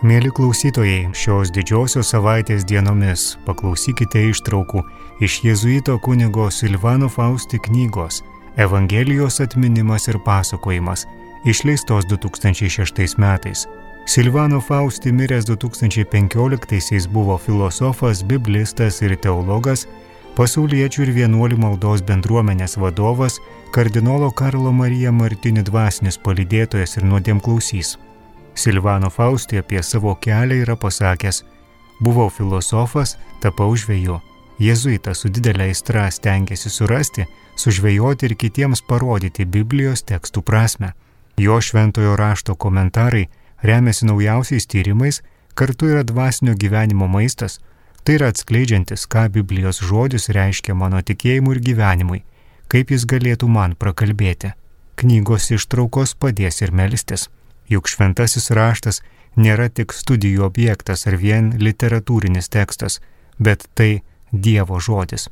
Mieli klausytojai, šios didžiosios savaitės dienomis paklausykite ištraukų iš jėzuito kunigo Silvano Fausti knygos Evangelijos atminimas ir pasakojimas, išleistos 2006 metais. Silvano Fausti miręs 2015-aisiais buvo filosofas, biblistas ir teologas, pasauliečių ir vienuolių maldos bendruomenės vadovas, kardinolo Karlo Marija Martini dvasinis palydėtojas ir nuodėmklausys. Silvano Fausti apie savo kelią yra pasakęs: buvau filosofas, tapau žveju. Jėzuitas su didelė aistra stengėsi surasti, sužvejoti ir kitiems parodyti Biblijos tekstų prasmę. Jo šventojo rašto komentarai remiasi naujausiais tyrimais, kartu yra dvasinio gyvenimo maistas, tai yra atskleidžiantis, ką Biblijos žodis reiškia mano tikėjimui ir gyvenimui, kaip jis galėtų man prakalbėti. Knygos ištraukos padės ir melstis. Juk šventasis raštas nėra tik studijų objektas ar vien literatūrinis tekstas, bet tai Dievo žodis.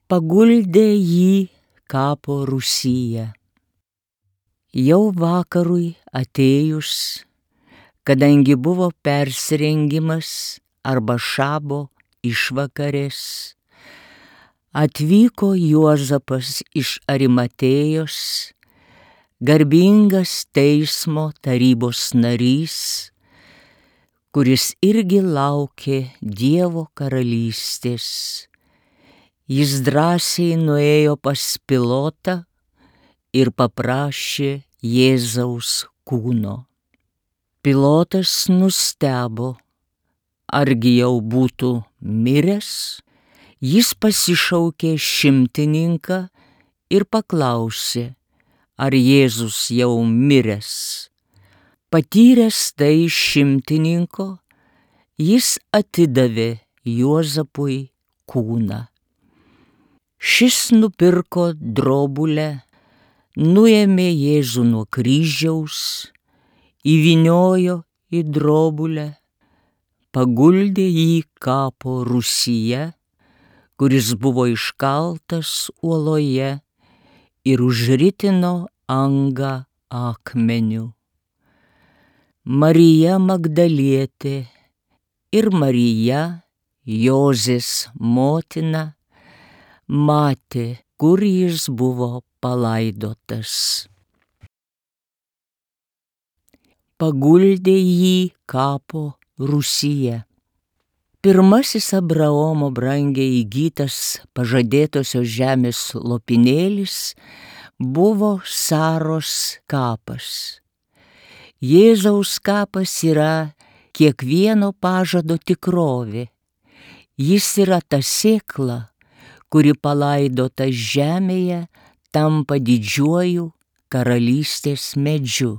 Paguldė jį kapo rūsyje. Jau vakarui atėjus, kadangi buvo persirengimas arba šabo išvakarės, atvyko Juozapas iš Arimatėjos, garbingas teismo tarybos narys, kuris irgi laukė Dievo karalystės. Jis drąsiai nuėjo pas Pilotą ir paprašė Jėzaus kūno. Pilotas nustebo, argi jau būtų miręs. Jis pasišaukė šimtininką ir paklausė, ar Jėzus jau miręs. Patyręs tai šimtininko, jis atidavė Juozapui kūną. Šis nupirko drobulę, nuėmė Jėzų nuo kryžiaus, įvyniojo į drobulę, paguldė jį kapo rūsyje, kuris buvo iškaltas uoloje, ir užritino angą akmeniu. Marija Magdalietė ir Marija, Jozės motina, matė, kur jis buvo palaidotas. Paguldė jį kapo rūsyje. Pirmasis Abraomo brangiai įgytas pažadėtosios žemės lopinėlis buvo Saros kapas. Jėzaus kapas yra kiekvieno pažado tikrovė. Jis yra ta sėkla, kuri palaidota žemėje, tampa didžiuoju karalystės medžiu.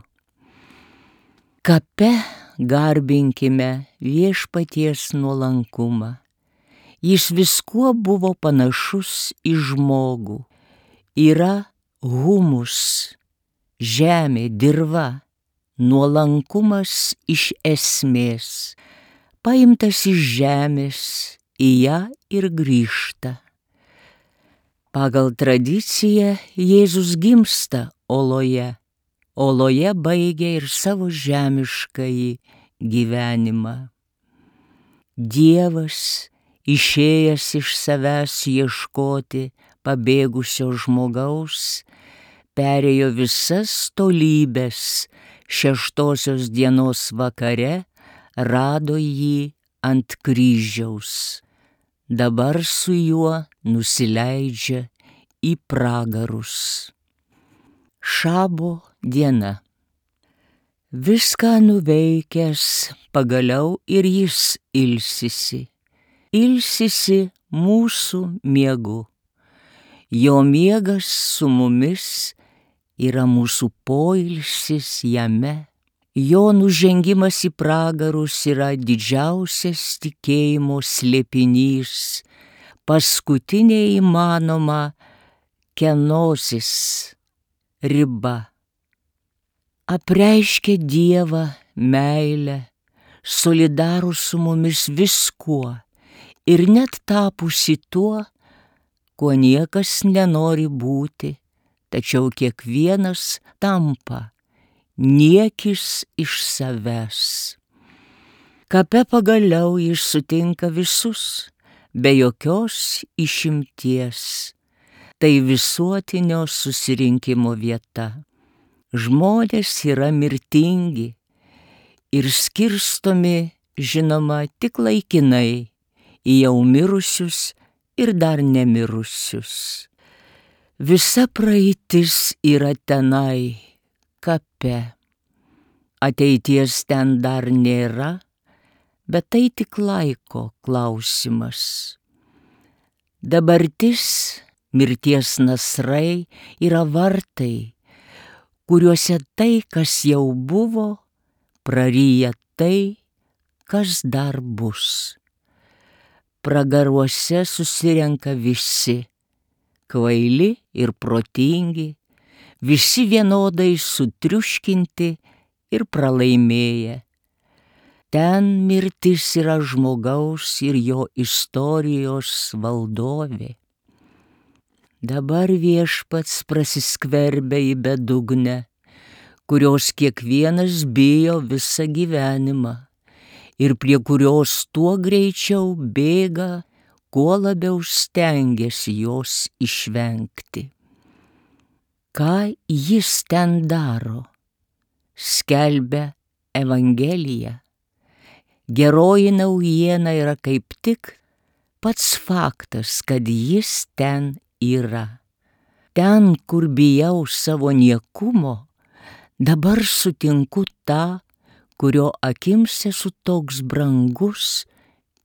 Kape garbinkime Viešpaties nuolankumą. Jis viskuo buvo panašus į žmogų. Yra humus, žemė, dirva, nuolankumas iš esmės, paimtas iš žemės, į ją ir grįžta. Pagal tradiciją Jėzus gimsta oloje, oloje baigia ir savo žemiškąjį gyvenimą. Dievas, išėjęs iš savęs ieškoti pabėgusio žmogaus, perėjo visas tolybes, šeštosios dienos vakare rado jį ant kryžiaus. Dabar su juo nusileidžia į pragarus. Šabo diena. Viską nuveikęs pagaliau ir jis ilsisi. Ilsisi mūsų miegu. Jo miegas su mumis yra mūsų poilsis jame. Jo nužengimas į pragarus yra didžiausias tikėjimo slėpinys, paskutinė įmanoma kenosis riba. Apreiškia Dievą meilę, solidarų su mumis viskuo ir net tapusi tuo, kuo niekas nenori būti, tačiau kiekvienas tampa niekis iš savęs. Kape pagaliau jis sutinka visus, be jokios išimties. Tai visuotinio susirinkimo vieta. Žmonės yra mirtingi ir skirstomi, žinoma, tik laikinai į jau mirusius ir dar nemirusius. Visa praeitis yra tenai, kape. Ateities ten dar nėra, bet tai tik laiko klausimas. Dabartis, mirties nasrai, yra vartai, kuriuose tai, kas jau buvo, praryja tai, kas dar bus. Pragaruose susirenka visi, kvaili ir protingi, visi vienodai sutriuškinti ir pralaimėję. Ten mirtis yra žmogaus ir jo istorijos valdovė. Dabar Viešpats prasiskverbia į bedugnę, kurios kiekvienas bijo visą gyvenimą ir prie kurios tuo greičiau bėga, kuo labiau stengiasi jos išvengti. Ką jis ten daro? Skelbia Evangeliją. Geroji naujiena yra kaip tik pats faktas, kad jis ten yra. Ten, kur bijau savo niekumo, dabar sutinku tą, kurio akims esu toks brangus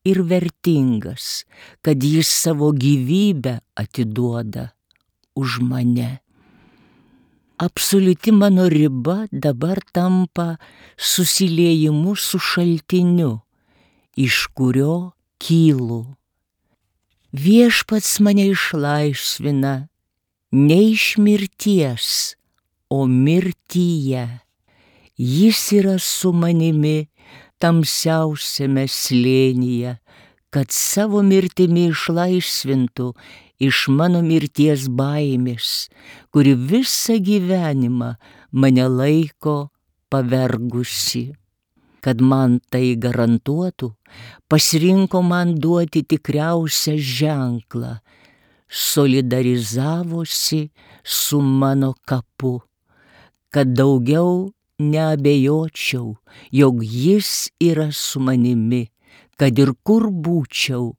ir vertingas, kad jis savo gyvybę atiduoda už mane. Absoliuti mano riba dabar tampa susiliejimu su šaltiniu, iš kurio kylu. Viešpats mane išlaisvina ne iš mirties, o mirtyje. Jis yra su manimi tamsiausiame slėnyje, kad savo mirtimi išlaisvintų iš mano mirties baimės, kuri visą gyvenimą mane laiko pavergusi. Kad man tai garantuotų, pasirinko man duoti tikriausią ženklą, solidarizavosi su mano kapu, kad daugiau neabejočiau, jog jis yra su manimi, kad ir kur būčiau,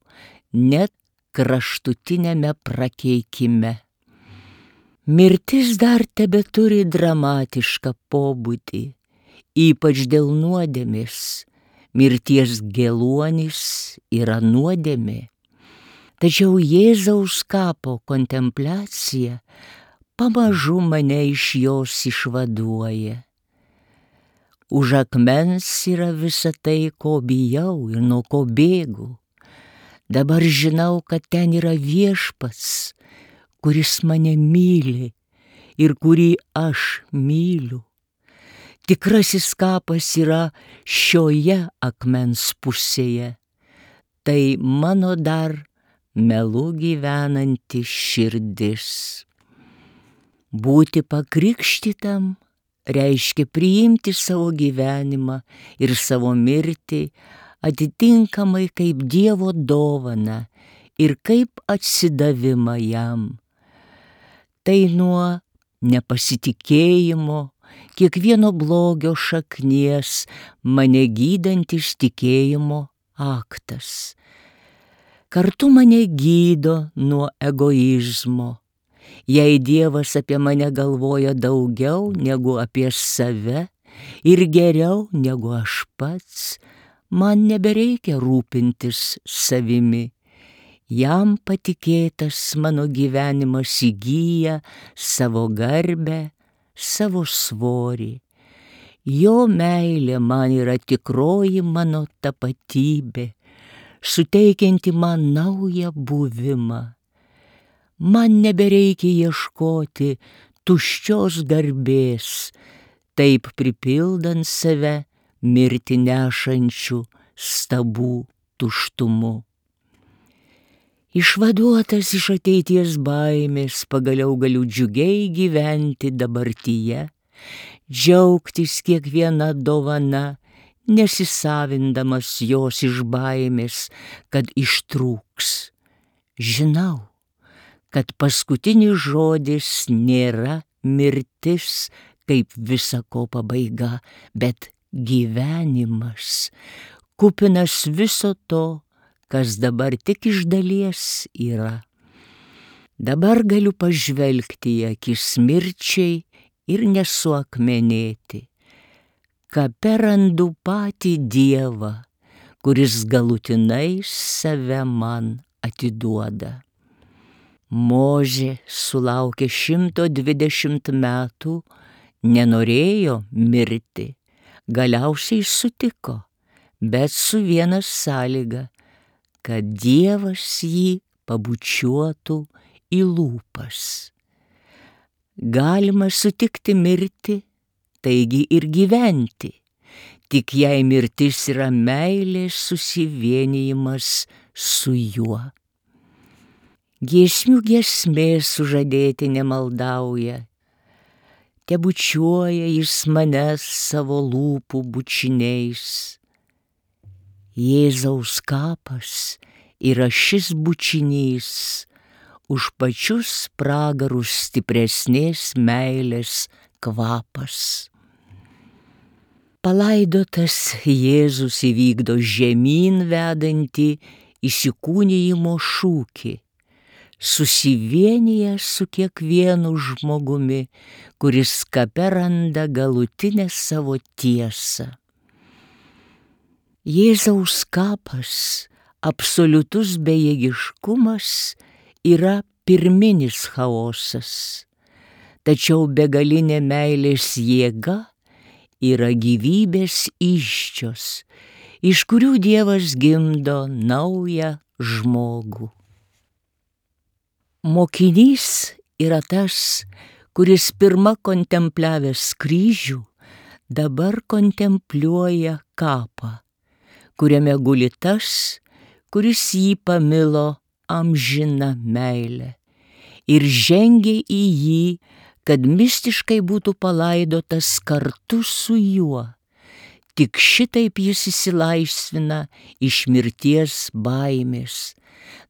net kraštutinėme prakeikime. Mirtis dar tebeturi dramatišką pobūdį, ypač dėl nuodėmės. Mirties geluonis yra nuodėmė. Tačiau Jėzaus kapo kontempliacija pamažu mane iš jos išvaduoja. Už akmens yra visa tai, ko bijau ir nuo ko bėgu. Dabar žinau, kad ten yra Viešpats, kuris mane myli ir kurį aš myliu. Tikrasis kapas yra šioje akmens pusėje. Tai mano dar melu gyvenanti širdis. Būti pakrikštytam reiškia priimti savo gyvenimą ir savo mirtį atitinkamai kaip Dievo dovaną ir kaip atsidavimą jam. Tai nuo nepasitikėjimo, kiekvieno blogio šaknies mane gydantis tikėjimo aktas. Kartu mane gydo nuo egoizmo. Jei Dievas apie mane galvoja daugiau negu apie save ir geriau negu aš pats, man nebereikia rūpintis savimi. Jam patikėtas mano gyvenimas įgyja savo garbę, savo svorį. Jo meilė man yra tikroji mano tapatybė, suteikianti man naują buvimą. Man nebereikia ieškoti tuščios garbės, taip pripildant save mirtį nešančių stabų tuštumu. Išvaduotas iš ateities baimės, pagaliau galiu džiugiai gyventi dabartyje, džiaugtis kiekviena dovana, nesisavindamas jos iš baimės, kad ištrūks. Žinau, kad paskutinis žodis nėra mirtis kaip visa ko pabaiga, bet gyvenimas, kupinas viso to, kas dabar tik iš dalies yra. Dabar galiu pažvelgti į akis mirčiai ir nesuakmenėti. Kape randu patį Dievą, kuris galutinai save man atiduoda. Mozė sulaukė 120 metų, nenorėjo mirti, galiausiai sutiko, bet su viena sąlyga, kad Dievas jį pabučiuotų į lūpas. Galima sutikti mirti, taigi ir gyventi, tik jei mirtis yra meilės susivienijimas su juo. Giesmių giesmė sužadėtinė maldauja, tebučiuoja jis mane savo lūpų bučiniais. Jėzaus kapas yra šis bučinys, už pačius pragarus stipresnės meilės kvapas. Palaidotas Jėzus įvykdo žemyn vedantį įsikūnijimo šūkį, susivienyje su kiekvienu žmogumi, kuris kape randa galutinę savo tiesą. Jėzaus kapas, absoliutus bejėgiškumas, yra pirminis chaosas, tačiau begalinė meilės jėga yra gyvybės įsčios, iš kurių Dievas gimdo naują žmogų. Mokinys yra tas, kuris pirma kontempliavęs kryžių, dabar kontempliuoja kapą, kuriame guli tas, kuris jį pamilo amžina meilė ir žengė į jį, kad mistiškai būtų palaidotas kartu su juo. Tik šitaip jis išsilaisvina iš mirties baimės.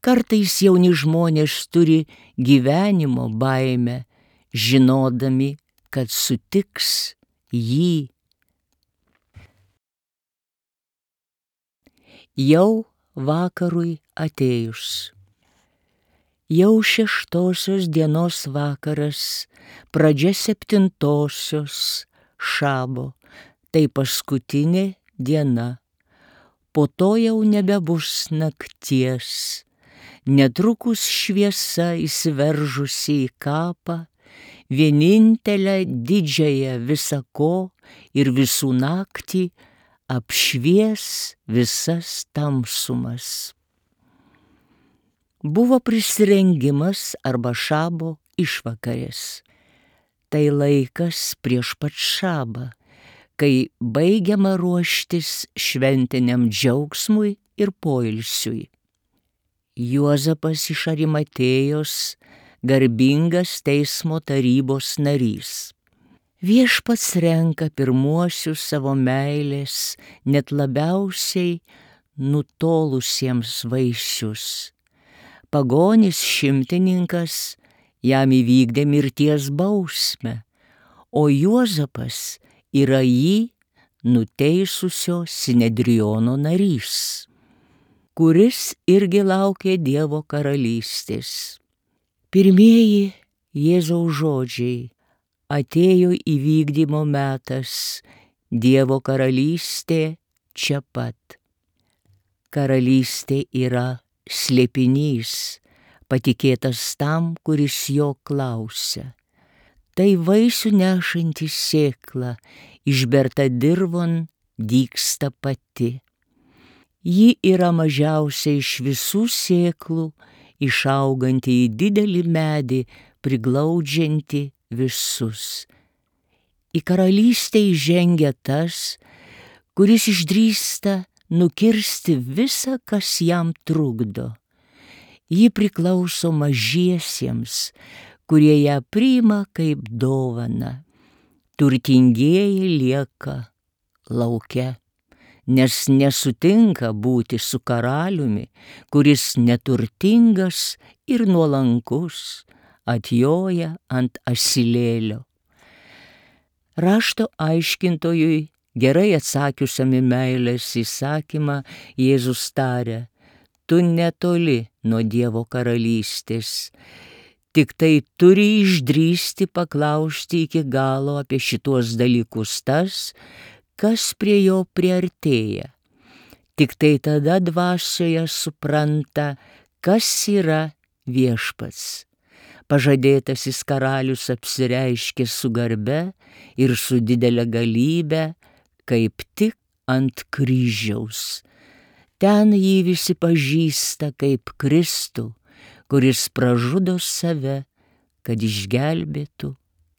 Kartais jauni žmonės turi gyvenimo baimę, žinodami, kad sutiks jį. Jau vakarui atėjus. Jau 6 dienos vakaras, pradžia 7 šabo, tai paskutinė diena. Po to jau nebebus nakties. Netrukus šviesa įsiveržusi į kapą, vienintelę didžiąją visa ko ir visų naktį, apšvies visas tamsumas. Buvo prisirengimas arba šabo išvakarės. Tai laikas prieš pat šabą, kai baigiama ruoštis šventiniam džiaugsmui ir poilsiui. Juozapas iš Arimatėjos, garbingas teismo tarybos narys. Viešpats renka pirmuosius savo meilės, net labiausiai nutolusiems vaisius. Pagonis šimtininkas jam įvykdė mirties bausmę, o Juozapas yra jį nuteisusio Sinedriono narys, kuris irgi laukė Dievo karalystės. Pirmieji Jėzaus žodžiai: atėjo įvykdymo metas, Dievo karalystė čia pat. Karalystė yra slėpinys, patikėtas tam, kuris jo klausia. Tai vaisių nešanti sėkla, išberta dirvon, dygsta pati. Ji yra mažiausia iš visų sėklų, išauganti į didelį medį, priglaudžianti visus. Į karalystę įžengia tas, kuris išdrįsta nukirsti visą, kas jam trukdo. Ji priklauso mažiesiems, kurie ją priima kaip dovaną. Turtingieji lieka lauke, nes nesutinka būti su karaliumi, kuris neturtingas ir nuolankus, atjoja ant asilėlio. Rašto aiškintojui, gerai atsakiusiam į meilės įsakymą, Jėzus taria: tu netoli nuo Dievo karalystės, tik tai turi išdrįsti paklausti iki galo apie šituos dalykus tas, kas prie jo priartėja. Tik tai tada dvasioje supranta, kas yra Viešpats. Pažadėtasis karalius apsireiškė su garbe ir su didelė galybe, kaip tik ant kryžiaus. Ten jį visi pažįsta kaip Kristų, kuris pražudo save, kad išgelbėtų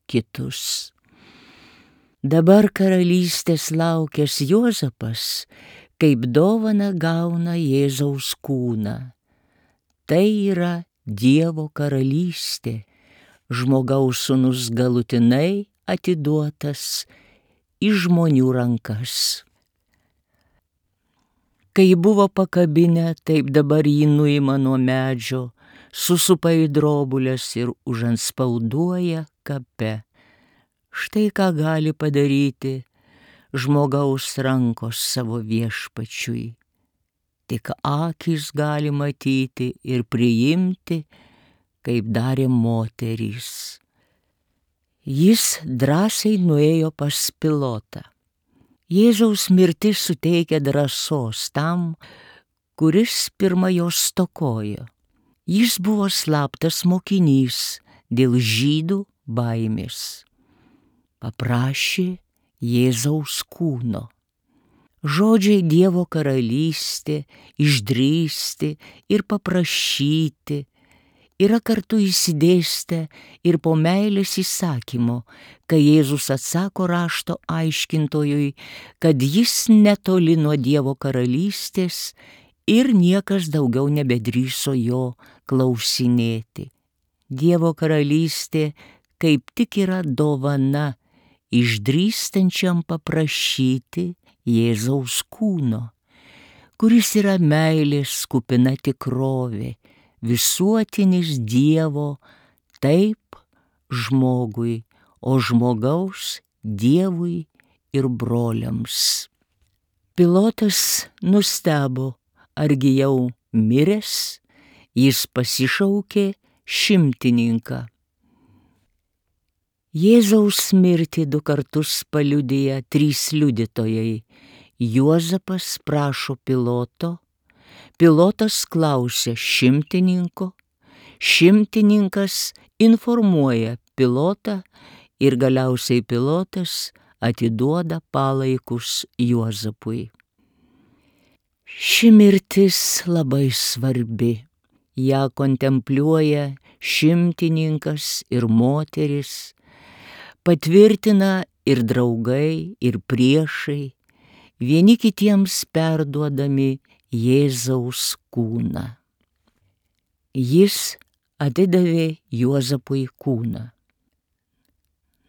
kitus. Dabar karalystės laukęs Juozapas kaip dovaną gauna Jėzaus kūną. Tai yra Dievo karalystė, žmogaus sūnus galutinai atiduotas į žmonių rankas. Kai buvo pakabinę, taip dabar jį nuima nuo medžio, susupa į drobulės ir užantspauduoja kape. Štai ką gali padaryti žmogaus rankos savo Viešpačiui. Tik akys gali matyti ir priimti, kaip darė moterys. Jis drąsiai nuėjo pas Pilotą. Jėzaus mirtis suteikia drąsos tam, kuris pirma jos stokojo. Jis buvo slaptas mokinys dėl žydų baimės. Paprašė Jėzaus kūno. Žodžiai Dievo karalystė, išdrįsti ir paprašyti yra kartu įsidėstę ir po meilės įsakymo, kai Jėzus atsako rašto aiškintojui, kad jis netoli nuo Dievo karalystės ir niekas daugiau nebedrįso jo klausinėti. Dievo karalystė kaip tik yra dovana išdrįstančiam paprašyti Jėzaus kūno, kuris yra meilės kupina tikrovė, visuotinis Dievo taip žmogui, o žmogaus Dievui ir broliams. Pilotas nustebo, argi jau miręs, jis pasišaukė šimtininką. Jėzaus mirtį 2 kartus paliudija 3 liudytojai. Juozapas prašo Piloto, Pilotas klausia šimtininko, šimtininkas informuoja Pilotą ir galiausiai Pilotas atiduoda palaikus Juozapui. Ši mirtis labai svarbi. Ją kontempliuoja šimtininkas ir moteris, patvirtina ir draugai, ir priešai, vieni kitiems perduodami Jėzaus kūną. Jis atidavė Juozapui kūną.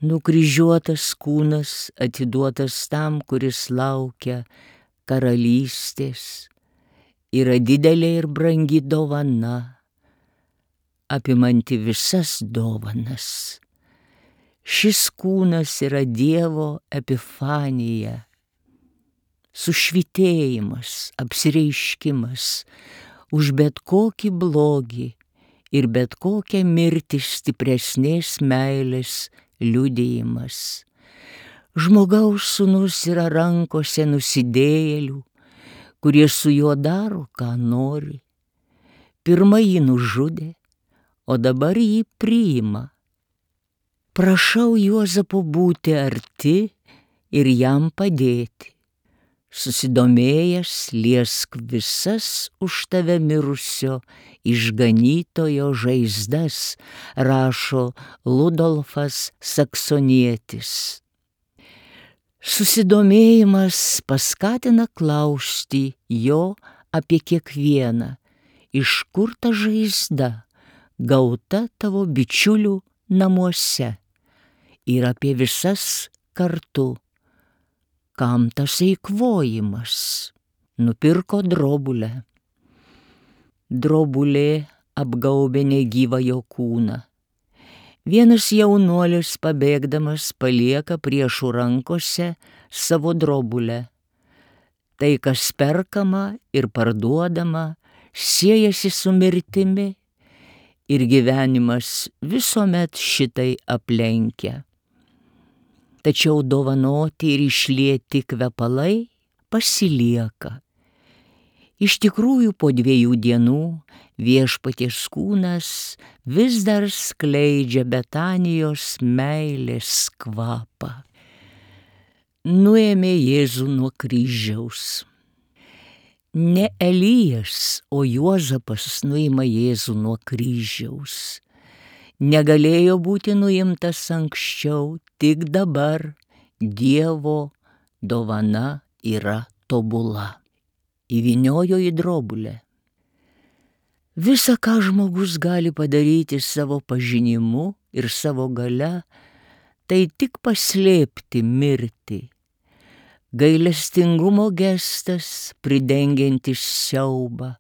Nukryžiuotas kūnas atiduotas tam, kuris laukia karalystės, yra didelė ir brangi dovana, apimanti visas dovanas. Šis kūnas yra Dievo epifanija, sušvitėjimas, apsireiškimas už bet kokį blogį ir bet kokią mirtį stipresnės meilės liudijimas. Žmogaus sūnus yra rankose nusidėjėlių, kurie su juo daro, ką nori. Pirma jį nužudė, o dabar jį priima. Prašau Juozapo būti arti ir jam padėti. Susidomėjęs liesk visas už tave mirusio išganytojo žaizdas, rašo Ludolfas Saksonietis. Susidomėjimas paskatina klausti jo apie kiekvieną, iš kur ta žaizda gauta tavo bičiulių namuose, ir apie visas kartu. Kam tas eikvojimas? Nupirko drobulę. Drobulė apgaubė negyvą jo kūną. Vienas jaunuolis pabėgdamas palieka priešų rankose savo drobulę. Tai, kas perkama ir parduodama, siejasi su mirtimi ir gyvenimas visuomet šitai aplenkia. Tačiau dovanoti ir išlieti kvepalai pasilieka. Iš tikrųjų, po 2 dienų viešpaties kūnas vis dar skleidžia Betanijos meilės kvapą. Nuėmė Jėzų nuo kryžiaus. Ne Elijas, o Juozapas nuima Jėzų nuo kryžiaus. Negalėjo būti nuimtas anksčiau, tik dabar Dievo dovana yra tobula. Įvyniojo į drobulę. Visa, ką žmogus gali padaryti savo pažinimu ir savo galia, tai tik paslėpti mirtį. Gailestingumo gestas pridengiantis siaubą.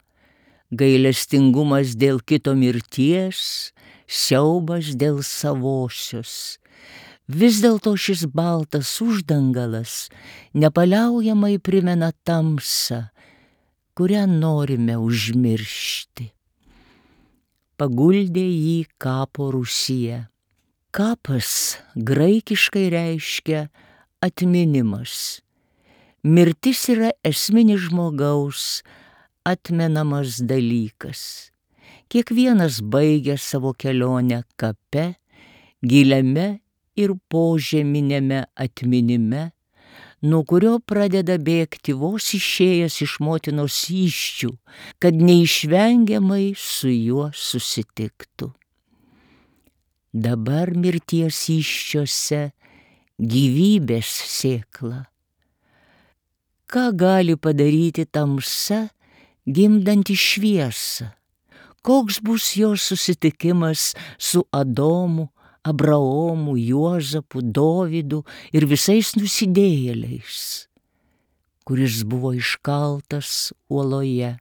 Gailestingumas dėl kito mirties, siaubas dėl savosios. Vis dėlto šis baltas uždangalas nepaliaujamai primena tamsą, kurią norime užmiršti. Paguldė jį kapo rūsyje. Kapas graikiškai reiškia atminimas. Mirtis yra esminis žmogaus atmenamas dalykas. Kiekvienas baigia savo kelionę kape, giliame ir požeminėme atminime, nuo kurio pradeda bėgti vos išėjęs iš motinos įsčių, kad neišvengiamai su juo susitiktų. Dabar mirties įsčiuose gyvybės sėkla. Ką gali padaryti tamsa, gimdanti šviesą? Koks bus jos susitikimas su Adomu, Abraomu, Juozapu, Dovydu ir visais nusidėjėliais, kuris buvo iškaltas uoloje.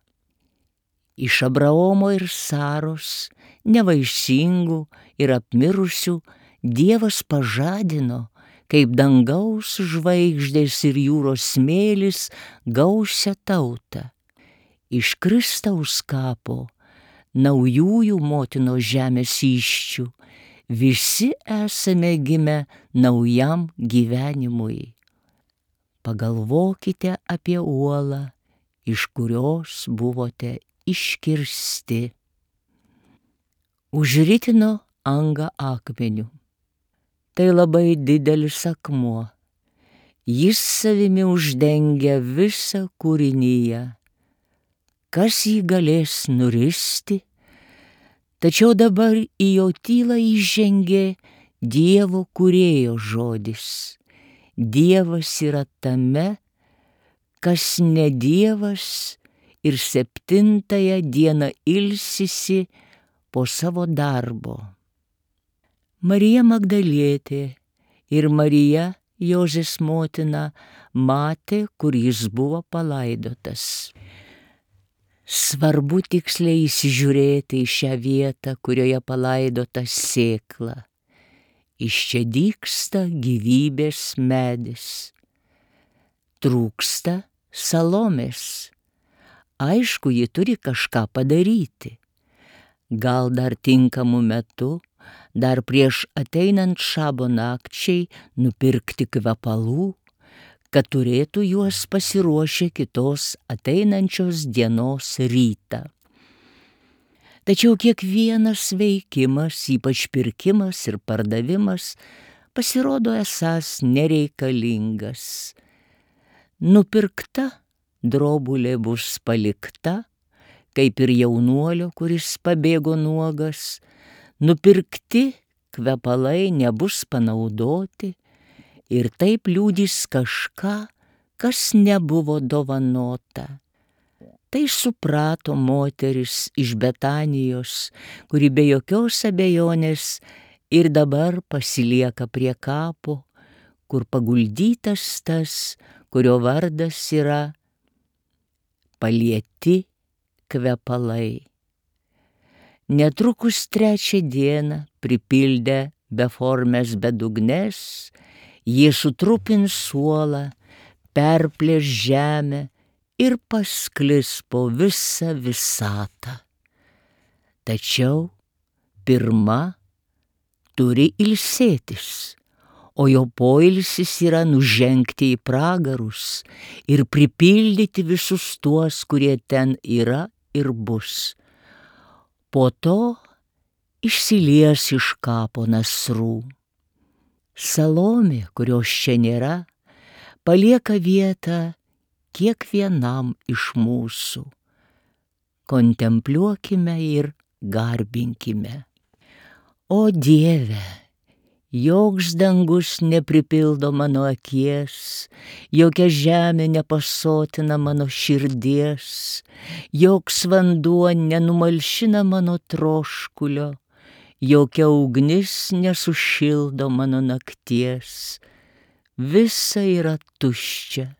Iš Abraomo ir Saros, nevaisingų ir apmirusių, Dievas pažadino, kaip dangaus žvaigždės ir jūros smėlis, gausią tautą. Iš Kristaus kapo, naujųjų motinos žemės įsčių, visi esame gimę naujam gyvenimui. Pagalvokite apie uolą, iš kurios buvote iškirsti. Užritino angą akmeniu. Tai labai didelis akmuo. Jis savimi uždengia visą kūrinyje. Kas jį galės nuristi? Tačiau dabar į jo tylą įžengė Dievo kūrėjo žodis. Dievas yra tame, kas ne Dievas, ir 7 dieną ilsisi po savo darbo. Marija Magdalietė ir Marija, Jozės motina, matė, kur jis buvo palaidotas. Svarbu tiksliai įsižiūrėti į šią vietą, kurioje palaidota sėkla. Iš čia dygsta gyvybės medis. Trūksta Salomės. Aišku, ji turi kažką padaryti. Gal dar tinkamu metu, dar prieš ateinant šabo nakčiai, nupirkti kvepalų, kad turėtų juos pasiruošę kitos ateinančios dienos rytą. Tačiau kiekvienas veikimas, ypač pirkimas ir pardavimas, pasirodo esąs nereikalingas. Nupirkta drobulė bus palikta, kaip ir jaunuolio, kuris pabėgo nuogas. Nupirkti kvepalai nebus panaudoti ir taip liudys kažką, kas nebuvo dovanota. Tai suprato moteris iš Betanijos, kuri be jokios abejonės ir dabar pasilieka prie kapo, kur paguldytas tas, kurio vardas yra palieti kvepalai. Netrukus trečią dieną pripildę beformės bedugnes, jie sutrupins suolą, perplėš žemę ir pasklis po visą visatą. Tačiau pirma turi ilsėtis, o jo poilsis yra nužengti į pragarus ir pripildyti visus tuos, kurie ten yra ir bus. Po to išsilies iš kapo nasrų. Salomė, kurios čia nėra, palieka vietą kiekvienam iš mūsų. Kontempliuokime ir garbinkime. O Dieve, joks dangus nepripildo mano akies, jokia žemė nepasotina mano širdies, joks vanduo nenumalšina mano troškulio, jokia ugnis nesušildo mano nakties. Visa yra tuščia,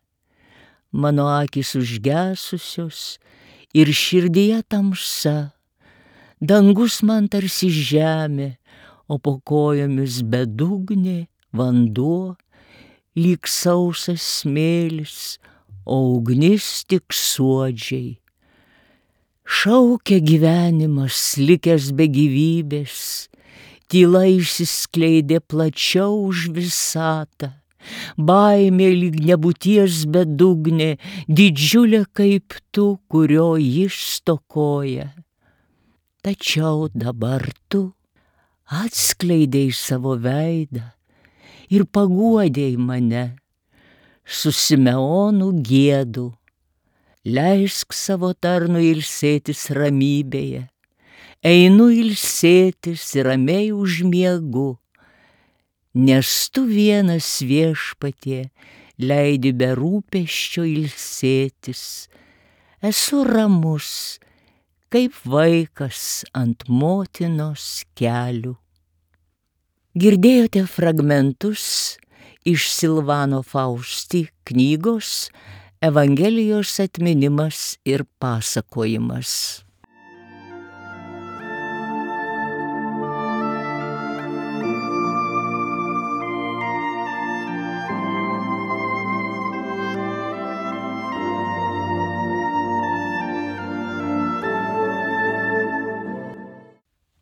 mano akys užgesusios ir širdyje tamsa, dangus man tarsi žemė, o po kojomis bedugnė, vanduo, lyg sausas smėlis, o ugnis tik suodžiai. Šaukia gyvenimas, likęs be gyvybės, tyla išsiskleidė plačiau už visatą, baimė lyg nebūties bedugnė, didžiulė kaip tu, kurio jis stokoja. Tačiau dabar tu atskleidei savo veidą ir paguodei mane. Su Simeonu giedu, leisk savo tarnui ilsėtis ramybėje. Einu ilsėtis ir ramiai užmiegu, nes tu vienas Viešpatie leidi be rūpesčio ilsėtis. Esu ramus, kaip vaikas ant motinos kelių. Girdėjote fragmentus iš Silvano Fausti knygos Evangelijos atminimas ir pasakojimas.